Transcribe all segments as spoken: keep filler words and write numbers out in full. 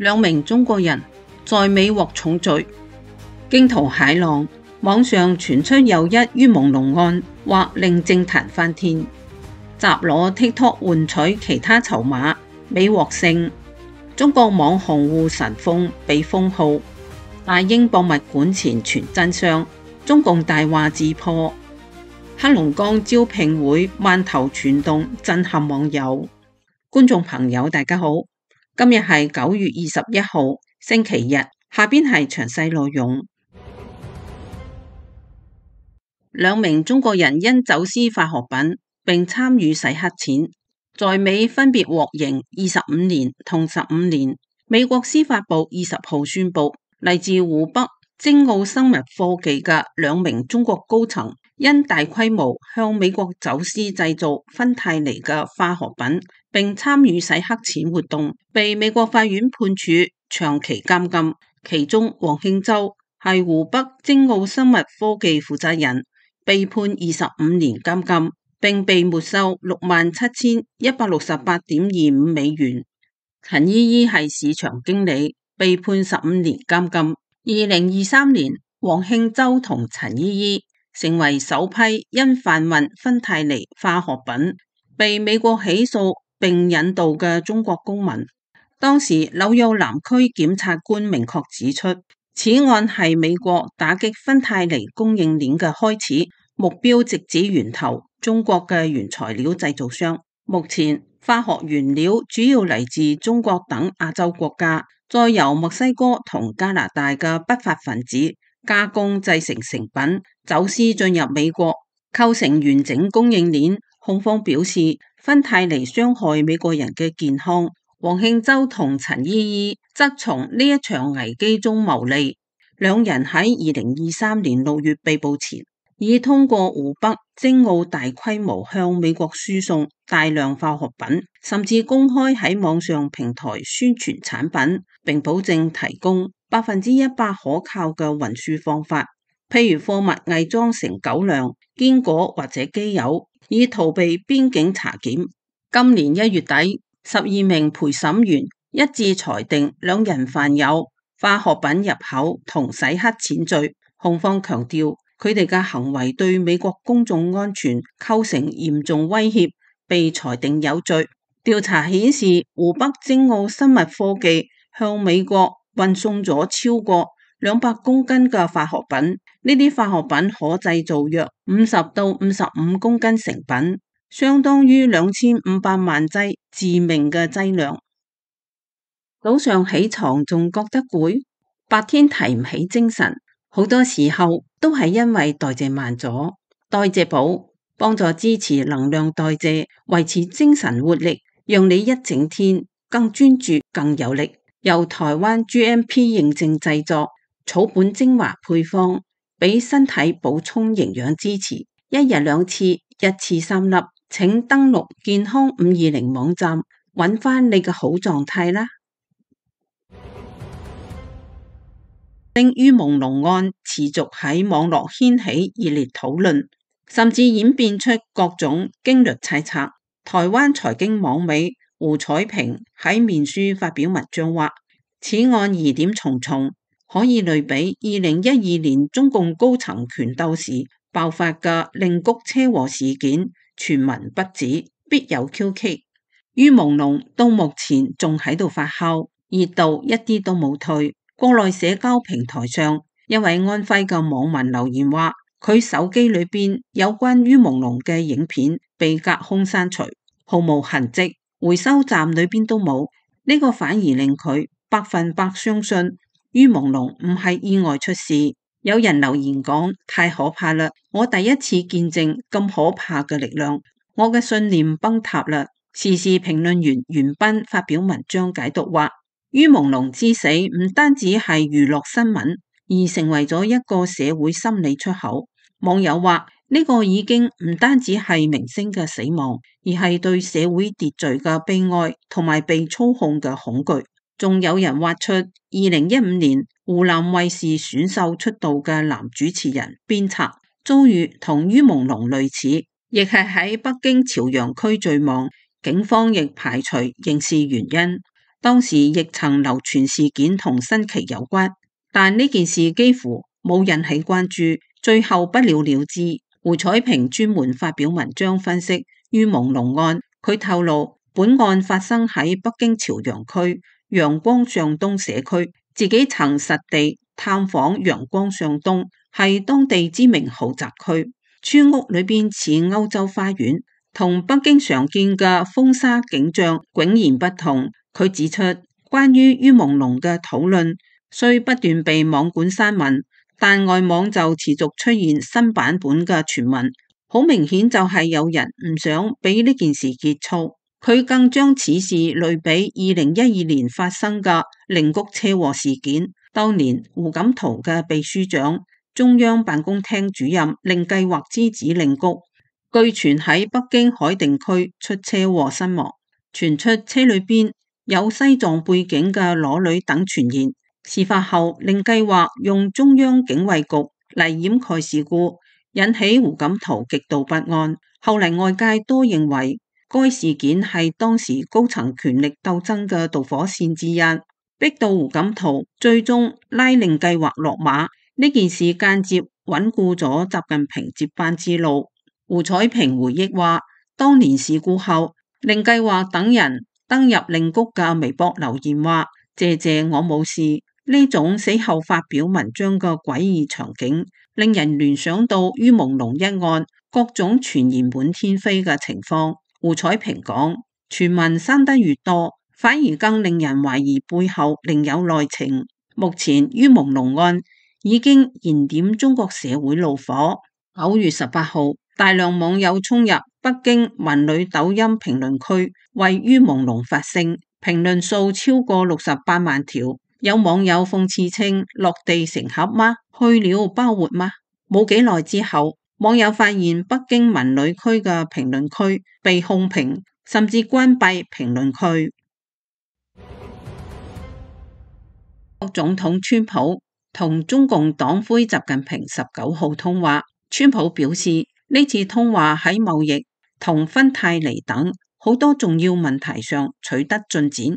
兩名中國人在美獲重罪。驚濤駭浪，網上傳出又一於朦朧案，或令政壇翻天。集攞 TikTok 換取其他籌碼，美獲勝。中國網紅護神鳳被封號。大英博物館前傳真相，中共大話自破。黑龍江招聘會饅頭傳動震撼網友。觀眾朋友大家好，今日係九月二十一號星期日，下邊係詳細內容。兩名中國人因走私化學品並參與洗黑錢，在美分別獲刑二十五年同十五年。美國司法部二十號宣布，嚟自湖北精奧生物科技嘅兩名中國高層，因大規模向美國走私製造芬太尼嘅化學品，並參與洗黑錢活動，被美國法院判處長期監禁。其中黃慶洲係湖北精奧生物科技負責人，被判二十五年監禁，並被沒收六萬七千一百六十八點二五美元。陳依依係市場經理，被判十五年監禁。二零二三年，黃慶洲同陳依依成為首批因販運芬太尼化學品被美國起訴並引渡嘅中國公民。當時紐約南區檢察官明確指出，此案係美國打擊芬太尼供應鏈嘅開始，目標直指源頭中國嘅原材料製造商。目前化學原料主要嚟自中國等亞洲國家，再由墨西哥同加拿大嘅不法分子加工製成成品，走私進入美國，構成完整供應鏈。控方表示，芬太尼傷害美國人嘅健康。黃慶洲同陳依依則從呢一場危機中牟利。兩人喺二零二三年六月被捕前，已通過湖北精奧大規模向美國輸送大量化學品，甚至公開喺網上平台宣傳產品，並保證提供百分之一百可靠嘅運輸方法，譬如貨物偽裝成狗糧、堅果或者機油，以逃避邊境查檢。今年一月底，十二名陪審員一致裁定兩人犯有化學品入口同洗黑錢罪。控方強調，佢哋嘅行為對美國公眾安全構成嚴重威脅，被裁定有罪。調查顯示，湖北精奧生物科技向美國運送咗超過兩百公斤嘅化學品，呢啲化學品可製造約五十到五十五公斤成品，相當於兩千五百萬劑致命嘅劑量。早上起床仲覺得攰，白天提唔起精神，好多時候都係因為代謝慢咗。代謝寶幫助支持能量代謝，維持精神活力，讓你一整天更專注、更有力。由台灣 G M P 認證製作，草本精華配方，俾身體補充營養支持。一日兩次，一次三粒。請登錄健康五二零網站，揾翻你嘅好狀態啦。於朦朧案持續喺網絡掀起熱烈討論，甚至演變出各種驚慄猜測。台灣財經網美胡彩萍喺面書發表文章話，此案疑點重重，可以類比二零一二年中共高層權鬥時爆發嘅令谷車禍事件，傳聞不止，必有蹊蹺。於朦朧到目前仲喺度發酵，熱度一啲都冇退。國內社交平台上，一位安徽嘅網民留言話，佢手機裏邊有關於朦朧嘅影片被隔空刪除，毫無痕跡，回收站裏邊都冇。呢個反而令佢百分百相信於朦朧唔係意外出事。有人留言講，太可怕啦！我第一次見證咁可怕嘅力量，我嘅信念崩塌啦。時事評論員袁斌發表文章解讀話，於朦朧之死唔單止係娛樂新聞，而成為咗一個社會心理出口。網友話，呢個已經唔單止係明星嘅死亡，而係對社會秩序嘅悲哀同埋被操控嘅恐懼。仲有人挖出二零一五年湖南衛視選秀出道嘅男主持人鞭策遭遇同於朦朧類似，亦係喺北京朝陽區墜亡，警方亦排除刑事原因。當時亦曾流傳事件同新奇有關，但呢件事幾乎冇引起關注，最後不了了之。胡彩萍專門發表文章分析于朦朧案，佢透露本案發生喺北京朝陽區陽光上東社區，自己曾實地探訪陽光上東，係當地知名豪宅區，村屋裏邊似歐洲花園，同北京常見嘅風沙景象迥然不同。佢指出，關於于朦朧嘅討論雖不斷被網管刪文，但外網就持續出現新版本嘅傳聞，好明顯就係有人唔想俾呢件事結束。佢更將此事類比二零一二年發生嘅寧谷車禍事件，當年胡錦濤嘅秘書長、中央辦公廳主任令計劃之子令谷，據傳喺北京海淀區出車禍身亡，傳出車裏邊有西藏背景嘅裸女等傳言。事發後，令計劃用中央警衛局嚟掩蓋事故，引起胡錦濤極度不安。後嚟外界都認為該事件係當時高層權力鬥爭嘅導火線之一，逼到胡錦濤最終拉令計劃落馬。呢件事間接穩固咗習近平接班之路。胡彩萍回憶話，當年事故後，令計劃等人登入令谷嘅微博留言話，謝謝我冇事。呢種死後發表文章嘅詭異場景，令人聯想到于朦朧一案各種傳言滿天飛嘅情況。胡彩萍講，傳聞生得越多，反而更令人懷疑背後另有內情。目前于朦朧案已經燃點中國社會怒火。九月十八號，大量網友衝入北京文旅抖音評論區，為于朦朧發聲，評論數超過六十八萬條。有網友諷刺稱，落地成盒嗎？去了包活嗎？冇幾耐之後，網友發現北京文旅區嘅評論區被控評，甚至關閉評論區。總統川普同中共黨魁習近平十九號通話，川普表示呢次通話喺貿易同芬太尼等好多重要問題上取得進展。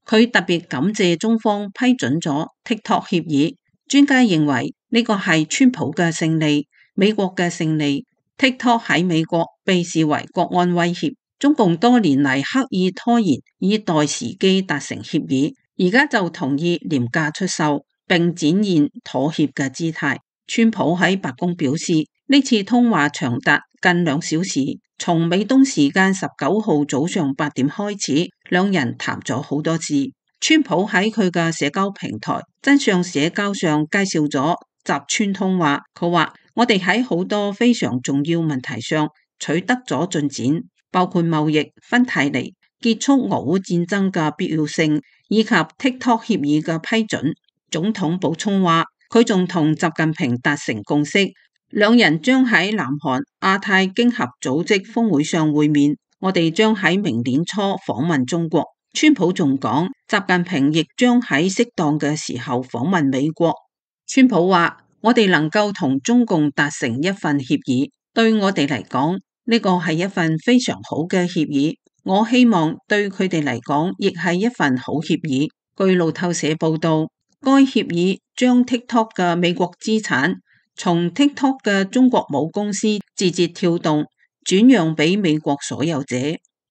佢特別感謝中方批准咗 TikTok 協議，專家認為呢個係川普嘅勝利，美國嘅勝利。TikTok 喺美國被視為國安威脅，中共多年嚟刻意拖延，以待時機達成協議，而家就同意廉價出售，並展現妥協嘅姿態。川普喺白宮表示，呢次通話長達近兩小時，從美東時間十九號早上八點開始，兩人談咗好多次。川普喺佢嘅社交平台真相社交上介紹咗習川通話，佢話我哋喺好多非常重要問題上取得咗進展，包括貿易、芬太尼、結束俄烏戰爭嘅必要性，以及 TikTok 協議嘅批准。總統補充話，佢仲同習近平達成共識，兩人將喺南韓亞太經合組織峰會上會面。我哋將喺明年初訪問中國。川普仲講，習近平亦將喺適當嘅時候訪問美國。川普話，我哋能夠同中共達成一份協議，對我哋嚟講，呢個係一份非常好嘅協議。我希望對佢哋嚟講，亦係一份好協議。據路透社報道，該協議將 TikTok 嘅美國資產從 TikTok 嘅中國母公司字節跳動轉讓俾美國所有者。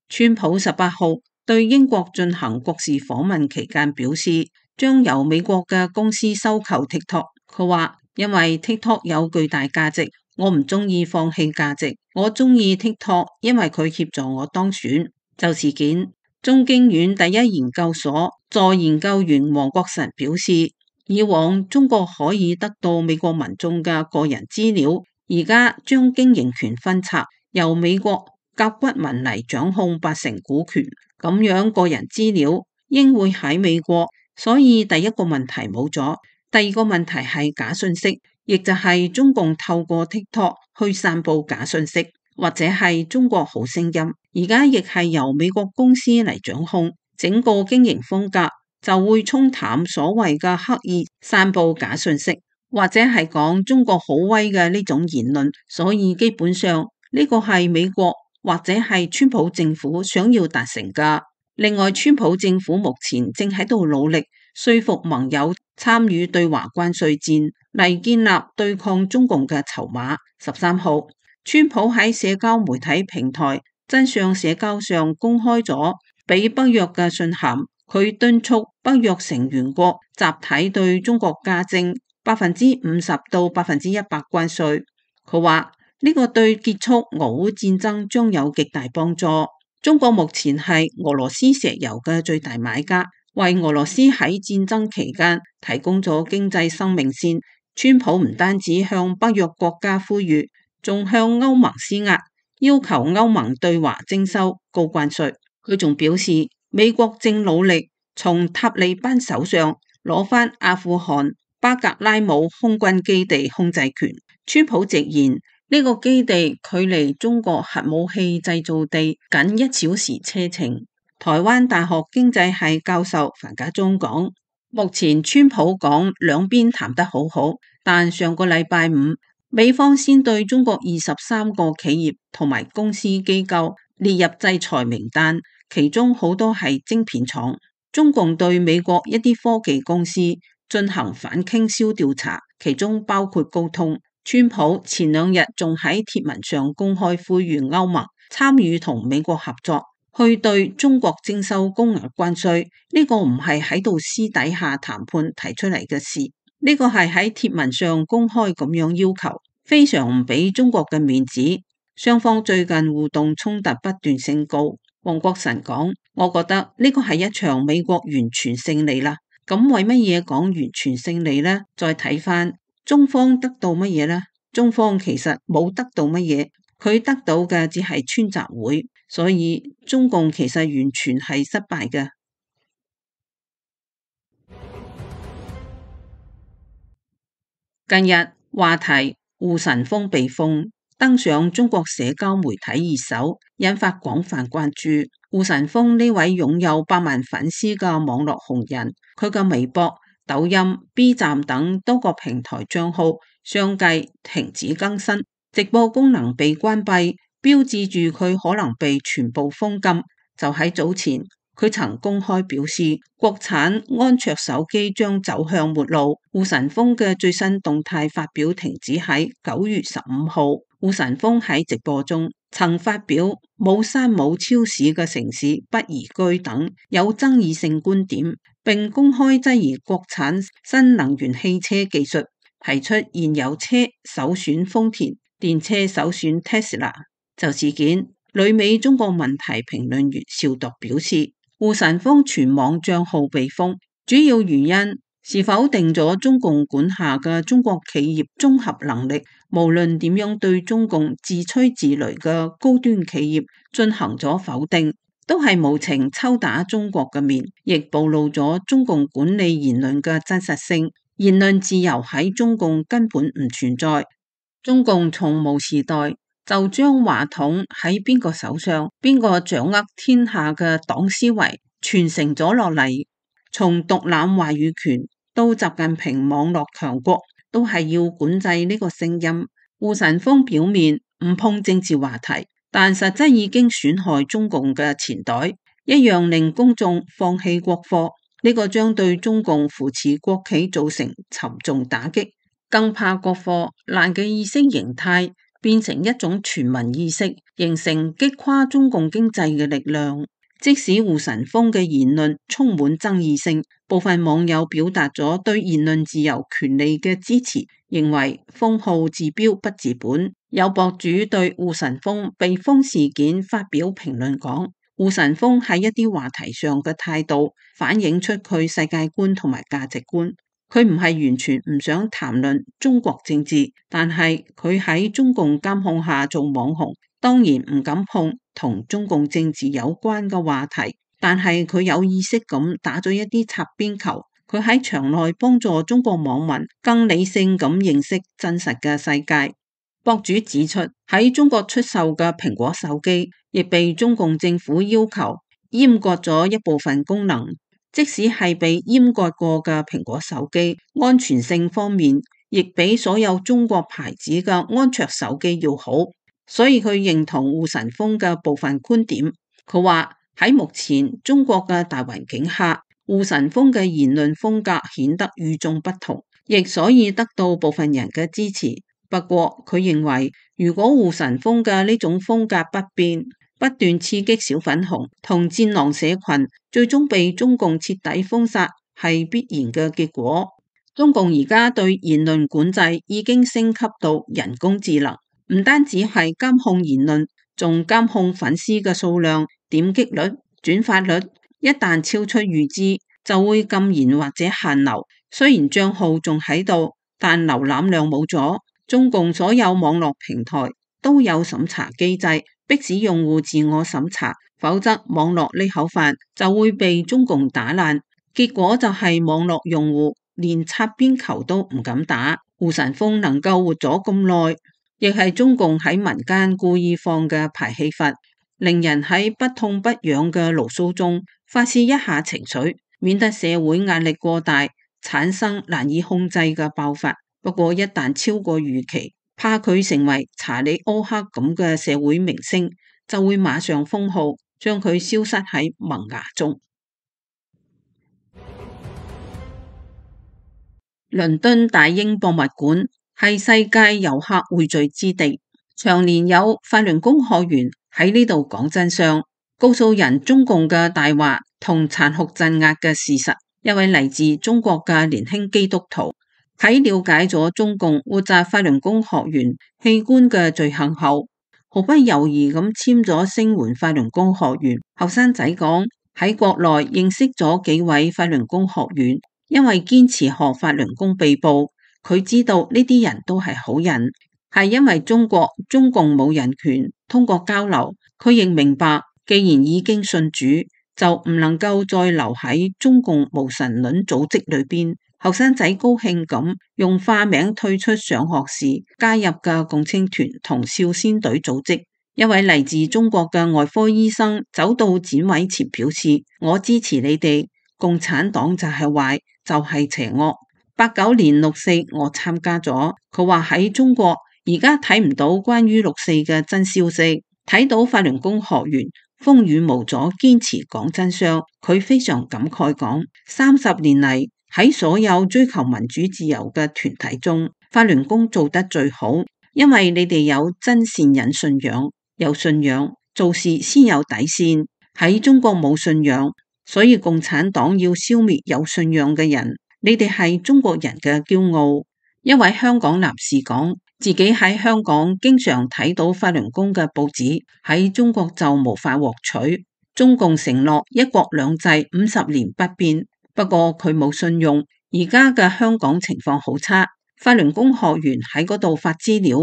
川普十八號對英國進行國事訪問期間表示，將由美國嘅公司收購 TikTok。佢話，因為 TikTok 有巨大價值，我唔中意放棄價值。我中意 TikTok，因為佢協助我當選。就事件，中經院第一研究所助研究員黃國臣表示，以往中國可以得到美國民眾嘅個人資料，而家將經營權分拆，由美國甲骨文嚟掌控八成股權，咁樣個人資料應會喺美國，所以第一個問題冇咗。第二個問題係假信息，亦就係中共透過 TikTok 去散布假信息，或者係中國好聲音，而家亦係由美國公司嚟掌控，整個經營風格就會沖淡所謂嘅刻意散布假信息，或者係講中國好威嘅呢種言論。所以基本上呢個係美國或者係川普政府想要達成嘅。另外，川普政府目前正喺度努力說服盟友參與對華關稅戰，嚟建立對抗中共嘅籌碼。十三號，川普喺社交媒體平台真相社交上公開咗俾北約嘅信函，佢敦促北約成員國集體對中國加徵百分之五十到百分之一百關稅。佢話呢個對結束俄烏戰爭將有極大幫助。中國目前係俄羅斯石油嘅最大買家，為俄羅斯喺戰爭期間提供咗經濟生命線。川普唔單止向北約國家呼籲，仲向歐盟施壓，要求歐盟對華徵收高關稅。佢仲表示，美國正努力從塔利班手上攞返阿富汗巴格拉姆空軍基地控制權。川普直言，呢個基地距離中國核武器製造地僅一小時車程。台灣大學經濟系教授樊家忠講，目前川普講兩邊談得好好，但上個禮拜五，美方先對中國二十三個企業同埋公司機構列入制裁名單，其中好多係晶片廠。中共對美國一啲科技公司進行反傾銷調查，其中包括高通。川普前兩日仲喺貼文上公開呼籲歐盟參與同美國合作，去對中國徵收高額關稅。呢個唔係喺度私底下談判提出嚟嘅事，呢個係喺貼文上公開咁樣要求，非常唔俾中國嘅面子。雙方最近互動衝突不斷升高。黃國臣講，我覺得呢個係一場美國完全勝利啦。咁為乜嘢講完全勝利呢？再睇翻。中方得到乜嘢呢？中方其實冇得到乜嘢，佢得到嘅只係川習會，所以中共其實完全係失敗嘅。近日話題胡神峰被封登上中國社交媒體熱搜，引發廣泛關注。胡神峰呢位擁有百萬粉絲嘅網絡紅人，佢嘅微博、抖音、B 站等多個平台賬號相繼停止更新，直播功能被關閉，標誌住佢可能被全部封禁。就喺早前，佢曾公開表示，國產安卓手機將走向末路。胡神峰嘅最新動態發表停止喺九月十五號。胡神峰喺直播中曾發表冇山冇超市嘅城市不宜居等有爭議性觀點，並公開質疑國產新能源汽車技術，提出現有車首選豐田，電車首選 Tesla。就事件，旅美中國問題評論員邵鐸表示，胡神峰全網賬號被封，主要原因是否定咗中共管下嘅中國企業綜合能力，無論點樣對中共自吹自擂嘅高端企業進行咗否定，都係無情抽打中國嘅面，亦暴露咗中共管理言論嘅真實性。言論自由喺中共根本唔存在，中共從毛時代就將話筒喺邊個手上，邊個掌握天下嘅黨思維傳承咗落嚟。從獨攬話語權到習近平網絡強國，都係要管制呢個聲音。胡神峰表面唔碰政治話題，但實質已經損害中共嘅錢袋，一樣令公眾放棄國貨。呢個將對中共扶持國企造成沉重打擊。更怕國貨爛嘅意識形態變成一種全民意識，形成擊垮中共經濟嘅力量。即使胡神峰嘅言論充滿爭議性，部分網友表達咗對言論自由權利嘅支持，認為封號治標不治本。有博主對胡神峰被封事件發表評論講，胡神峰喺一啲話題上嘅態度反映出佢世界觀同埋價值觀。佢唔係完全唔想談論中國政治，但係佢喺中共監控下做網紅，當然唔敢碰同中共政治有關嘅話題。但係佢有意識咁打咗一啲擦邊球，佢喺場內幫助中國網民更理性咁認識真實嘅世界。博主指出，喺中國出售嘅蘋果手機亦被中共政府要求閹割咗一部分功能。即使係被閹割過嘅蘋果手機，安全性方面亦比所有中國牌子嘅安卓手機要好，所以佢認同胡神峰嘅部分觀點。佢話喺目前中國嘅大環境下，胡晨峰嘅言論風格顯得與眾不同，亦所以得到部分人嘅支持。不過佢認為，如果胡晨峰嘅呢種風格不變，不斷刺激小粉紅同戰狼社群，最終被中共徹底封殺，係必然嘅結果。中共而家對言論管制已經升級到人工智能，唔單止係監控言論，仲監控粉絲嘅數量、點擊率、轉發率，一旦超出預知，就會禁言或者限流。雖然賬號仲喺度，但瀏覽量冇咗。中共所有網絡平台都有審查機制，迫使用戶自我審查，否則網絡呢口飯就會被中共打爛。結果就係網絡用戶連擦邊球都唔敢打。胡晨峰能夠活咗咁耐，亦係中共喺民間故意放嘅排氣閥，令人喺不痛不癢嘅牢騷中發洩一下情緒，免得社會壓力過大，產生難以控制嘅爆發。不過一旦超過預期，怕佢成為查理歐克咁嘅社會明星，就會馬上封號，將佢消失喺萌芽中。倫敦大英博物館係世界遊客匯聚之地，長年有法輪功學員喺呢度講真相，告訴人中共嘅大話同殘酷鎮壓嘅事實。一位嚟自中國嘅年輕基督徒喺了解咗中共活摘法輪功學員器官嘅罪行後，毫不猶豫咁簽咗聲援法輪功學員。後生仔講，喺國內認識咗幾位法輪功學員，因為堅持學法輪功被捕，佢知道呢啲人都係好人，係因為中國中共冇人權。通過交流，佢亦明白，既然已經信主，就唔能夠再留喺中共無神論組織裏邊。後生仔高興咁用化名退出上學時加入嘅共青團同少先隊組織。一位嚟自中國嘅外科醫生走到展位前表示：我支持你哋，共產黨就係壞，就係邪惡。八九年六四我參加咗，佢話喺中國而家睇唔到關於六四嘅真消息，睇到法輪功學員風雨無阻堅持講真相，佢非常感慨講，三十年嚟喺所有追求民主自由嘅團體中，法輪功做得最好，因為你哋有真善忍信仰，有信仰做事先有底線。喺中國冇信仰，所以共產黨要消滅有信仰嘅人。你哋係中國人嘅驕傲。一位香港男士講，自己喺香港經常睇到法輪功嘅報紙，喺中國就無法獲取。中共承諾一國兩制五十年不變，不過佢冇信用。而家嘅香港情況好差，法輪功學員喺嗰度發資料，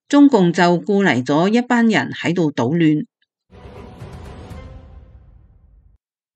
中共就僱嚟咗一班人喺度搗亂。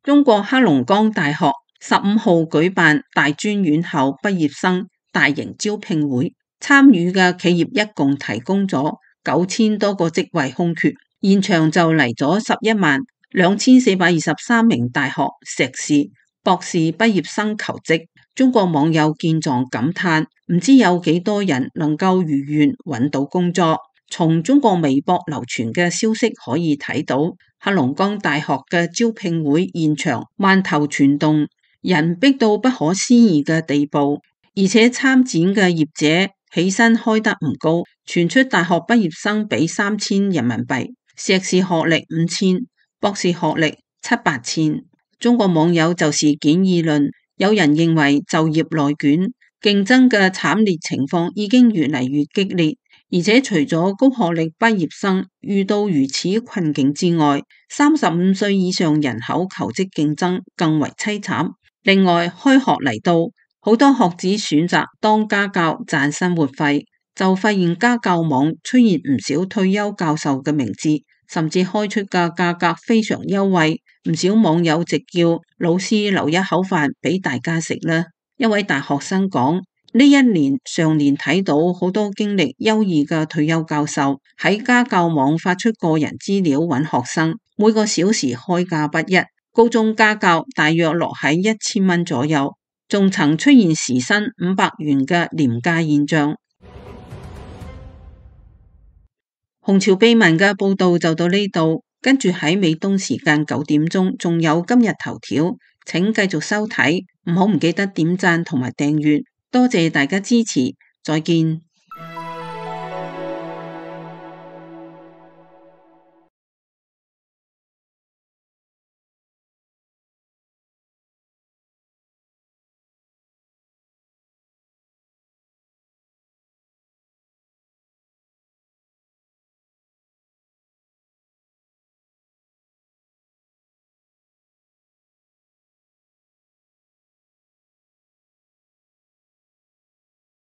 中國黑龍江大學十五號舉辦大專院校畢業生大型招聘會，參與嘅企業一共提供咗九千多個職位空缺，現場就嚟咗十一萬兩千四百二十三名大學碩士、博士畢業生求職。中國網友見狀感嘆，唔知有幾多人能夠如願揾到工作。從中國微博流傳嘅消息可以睇到，黑龍江大學嘅招聘會現場萬頭攢動，人逼到不可思議嘅地步，而且參展嘅業者起薪開得唔高，傳出大學畢業生俾三千人民幣，碩士學歷五千，博士學歷七八千。中國網友就事件議論，有人認為就業內卷，競爭嘅慘烈情況已經越嚟越激烈。而且除咗高學歷畢業生遇到如此困境之外，三十五歲以上人口求職競爭更為淒慘。另外，開學嚟到，好多學子選擇當家教賺生活費，就發現家教網出現唔少退休教授嘅名字，甚至開出嘅價格非常優惠。唔少網友直叫老師留一口飯俾大家食啦。一位大學生講，呢一年上年睇到好多經歷優異嘅退休教授喺家教網發出個人資料揾學生，每個小時開價不一，高中家教大約落喺一千蚊左右，仲曾出現時薪五百元嘅廉價現象。紅潮秘聞嘅報道就到呢度，跟住喺美東時間九點鐘，仲有今日頭條，請繼續收睇，唔好唔記得點讚同埋訂閱，多謝大家支持，再見。